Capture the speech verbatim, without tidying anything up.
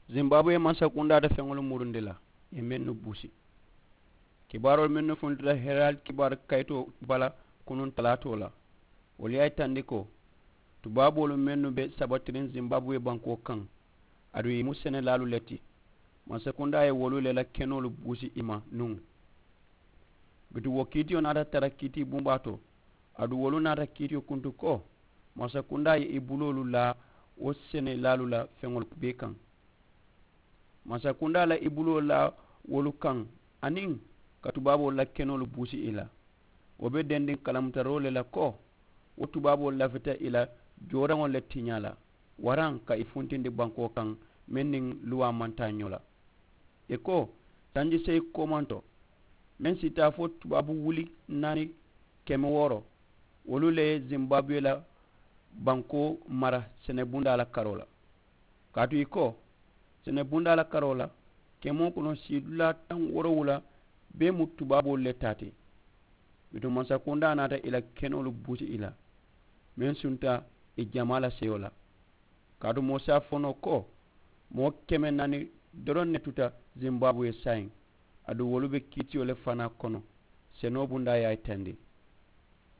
Zimbabwe mansakundaa te feŋolu murundi la, ì ye mennu buusi. Kibaaroolu mennu funtita herald kibaaru kayitoo bala kunuŋ talaatoo la, wolu ye a yitandi ko tubaaboolu mennu be sabatiriŋ zimbabwe bankoo kaŋ, aduŋ ì mu senelaalu le ti, mansakundaa ye wolu le la kenoolu buusi ì ma nuŋ. Bituŋ wo kiitiyo naata tara kiitii bumbaa to, aduŋ wolu naata kiitiyo kuntu ko mansakundaa ye ì buloolu laa wo senelaalu la feŋolu bee kaŋ. Mansakundaa la ì buloo laa wolu kaŋ, aniŋ ka tubaaboolu la kenoolu buusi ì la. Wo be dendiŋ kalamutaroo le la ko wo tubaaboolu lafita ì la jooraŋo le tiñaa la, waraŋ ka ì funtindi bankoo kaŋ meŋ niŋ luwaa maŋ taa ñoo la. Ì ko sanji seyi koomanto meŋ si taa fo tubaabu wuli naani keme wooro, wolu le ye zimbabwe la bankoo mara senebundaa la karoo la. Kaatu ì ko senebundaa la karoo la kemoo kono siidulaa taŋ woorowula bee mu tubaaboolu le taa ti. Bituŋ mansakundaa naata ì la kenoolu buusi ì la meŋ sunta ì jamaa la seyo la. Kaatu moo si a fo noo ko moo keme naani doroŋ ne tuta zimbabwe saayiŋ, aduŋ wolu be kiitiyo le fanaa kono senoo bundaa ye a yitandi.